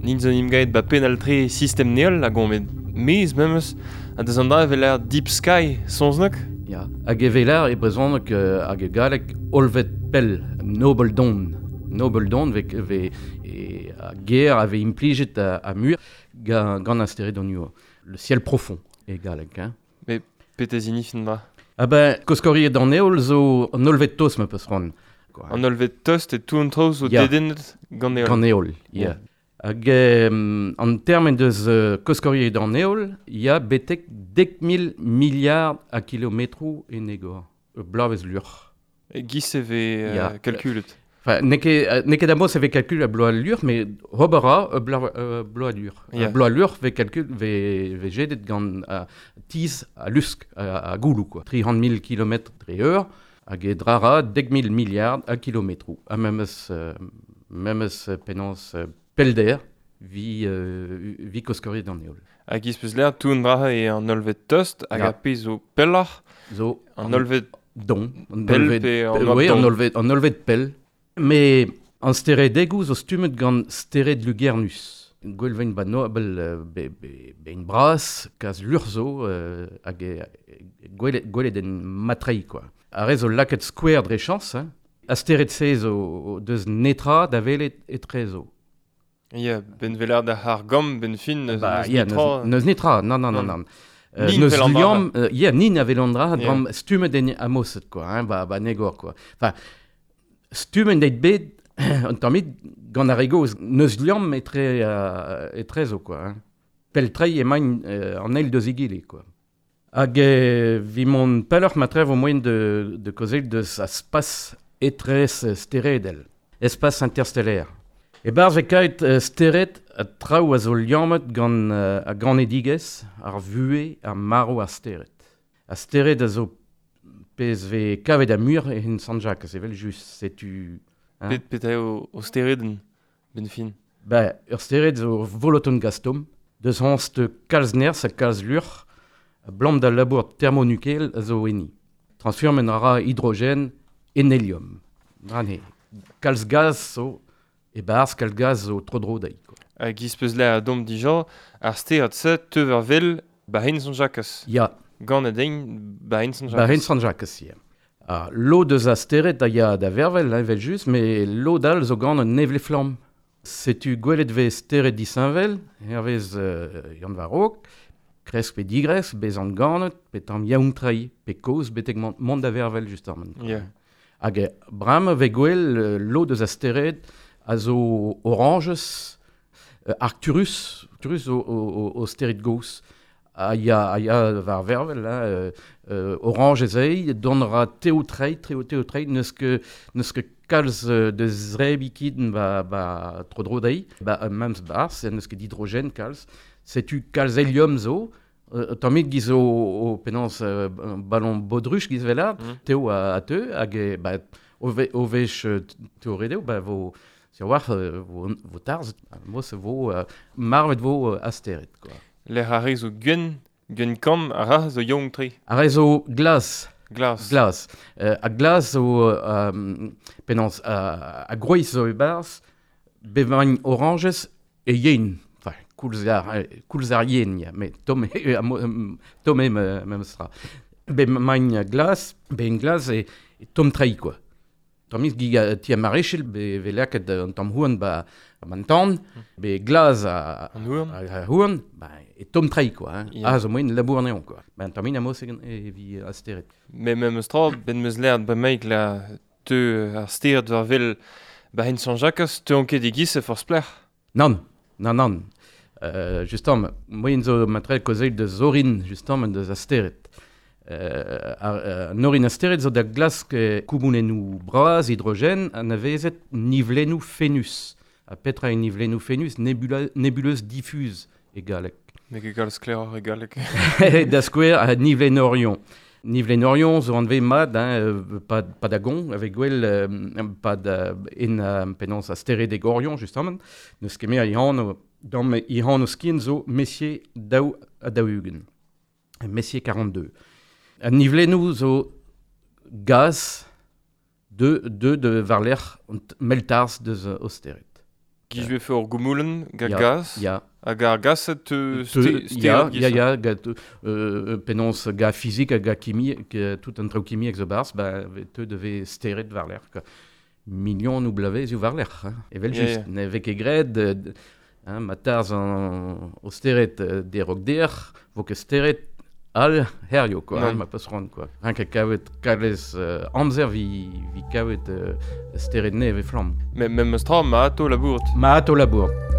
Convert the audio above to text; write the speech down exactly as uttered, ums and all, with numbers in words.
Nin zo nim gaet ba penal-tre sistem neol hag on met mez memes a deus an dra evel ar Deep Sky sonznok. Ya, hag evel ar e brezhoneg hag e galleg olvet pell, nobel don. Nobel don ve, ve e, a ger a ve implijet a, a mur gant, gant an stered an ur. Le ciel profond e galleg. Hein. Mais petez inifin dra. Ah ben, koskoriet an eol zo an olvet tost ma peus ran. An olvet tost e tout an traoù zo Ya. dedennet gant eol. Gant eol, ya. Hag euh, an termen deus euh, koskoriet an eol, ya betek dek mil milliard a kilometroù en egor. Blavez lur. E giz e ve euh, Ya. kalkulet. Enfin, n'eo ket, n'eo ket amos e vez kalkul a bloaz lur, mais ober a euh, bla, euh, bloaz lur. Ya. Yeah. Bloaz lur vez kalkul vez, vez jedet gant a tiz a lusk a, a goulou, quoi. tri c'hant mil kilometr dre eur, hag e drara dek mil milliard a kilometroù. Ha memes, euh, memes penaos euh, pelder vi, euh, vi koskoriet an eol. Hag giz peus l'air tout an dra e an olvet tost hag Ya. a pezh zo pelloc'h Zo an olvet don. An pell olvet pe an Euh, oab oui, don. an olvet, an olvet pell. Mais an steredegoù zo stummet gant stered Lugernus. Gwelvein ba nobel euh, be, be, bein bras, kaz lur zo, euh, hag e, gwelet, gwelet en matrei, quoi. Ar re zo laket skouer dre chans, hein. A stered se zo deus netra da welet etre zo. Ya, ben velar da har gamm ben fin neus, Ba, neus ya, netra. neus, neus netra, non, non, non, Non. non. Euh, Nin neus vel an dra. liamm, euh, ya, nin a vel an dra, Ya. dram stummet en amoset, quoi, hein, ba, ba negor, quoi. Enfin, stummet deit bet, an tammit gant ar egoz, neus liamm etre, euh, etre zo, quoi, hein. Peltrei emaint euh, an eil deus egile, quoi. Hag euh, vi mont pelloc'h ma trev o moyen de, de kozel deus a spas etrez steredel, espace interstellaire. E barz e kaet euh, stered a traoù a zo liammet gant euh, a ganedigezh, ar vuhez, ar marv ar stered. A stered a zo pezh ve kavet a mur e hen Sant-Jacques, evel just, setu... Hein? Pet pet eo o stereden ben fin. Ba, ur stered zo voloton gastom, deus hanst kalz nerz ha kalz lur, a blam da labour thermonukel a zo enni. Transformen a ra hydrogène en hélium. Drane, kalz gaz zo, e barz kalz gaz zo tro-dro dezhi, quoi. Hag giz peus l'air a dom dija, ar stered se teuver vel ba hen Sant-Jacques. Ya, Gant a dein ba hen Sant-Jacques. ba hen Sant-Jacques, ya. Ah, lo deus a stered a ya da vervel, hein, evel just, mais lo dal zo gant un nevle flamm. Setu gwelet vez stered disheñvel, hervez euh, Yann Varok, kresk pe digresk, bezant ganet, pe tamm yaountrai, pe koz, betek mont, mont da vervel just ar man. Ya. Hag eh, bram ve gwel euh, lo deus a stered a zo oranges, euh, Arcturus, Arcturus zo o, o, o stered goz, a ya, a ya war vervel, hein, euh, euh, oranges ei, don ra teotrei, treo teotrei, neus ket, neus ket kalz euh, de zrebikidn ba, ba tro-dro dezhi, ba euh, memes barz, neus ket hydrogène kalz, setu kalz hélium zo, euh, tammit giz o, o penaos euh, ballon baudruche giz velar, Mm. teo a, a teu, hag e, ba, o, ve, o vech euh, teoredeo, ba vo, sur war, euh, vo, vo tarz, mos vo, euh, marvet vo euh, astered, quoi. L'air a re zo gwen, gwen kamm a ra zo yaouank tre. Ar re zo glas, Glas. glas. Euh, a glas zo, euh, penaos, a, a groiz zo e barz, bevañ oranges e yen. Enfin, koulz ar, eh, koulz ar yen, ya, mais tom e, a mo- em, tom e me, memes tra. Bevañ glas, bevañ glas e, e tom trei, quoi. Tamm gig a ti a marechel, be ve laket an tamm houarn ba, ba an tan, be glas a, An houarn. a, a houarn, ba, e tom trei, quoi. Hein. Ya. Ah, zo moen labour anezhañ, quoi. Ba, an tamm amos e, e vi astered. Mais memes tra, ben meus l'air ba meik la teu ar stered war vel ba hen Sant-Jacques, teu an ket e giz e forz plec'h. Nann, nann, nann. Euh, justement, moyen zo matre kozeil deus orin, justement, deus astered. Euh, ar, euh, an orin astered zo da glask eh, koumounennoù bras, hydrogène, anavezet nivlennoù Phénus. Ha petra e nivlennoù Phénus, nebula, nébuleuse diffuse e galleg. Ne ket kalz sklaeroc'h e galleg. Da skouer a nivlenn Orion. Nivlenn Orion zo anvet mat, hein, euh, pa, pa da gon, avec gwell, euh, pa da, en euh, penaos a steredeg Orion, justement. Neus ket mer ihan, dam ihan o skin zo Messier daou ha daou-ugent. Messier quarante-deux. An nivlennoù zo gaz de, de, de varlec'h an meltarz deus o stered. Giz vefe ur goumoulenn ga ya, gaz. Ya. Hag ar gaz te, te Ya, ya, ya, ga, euh, penaos ga fizik hag ga kimi, tout an traoù kimiek zo barz, ba, te devez steret war l'erc'h, quoi. Million ou blavez eo war l'erc'h, hein. Evel just, yeah, yeah. Ne vez ket graet, hein, ma tarz an o steret derok der, vo ket steret al herrio, quoi, hein, ma peus c'hoant, quoi. Rien ket kavet kalez euh, amzer vi, vi kavet euh, steret neve flamm. Me, memes tra, ma ato labourt. Ma ato labourt.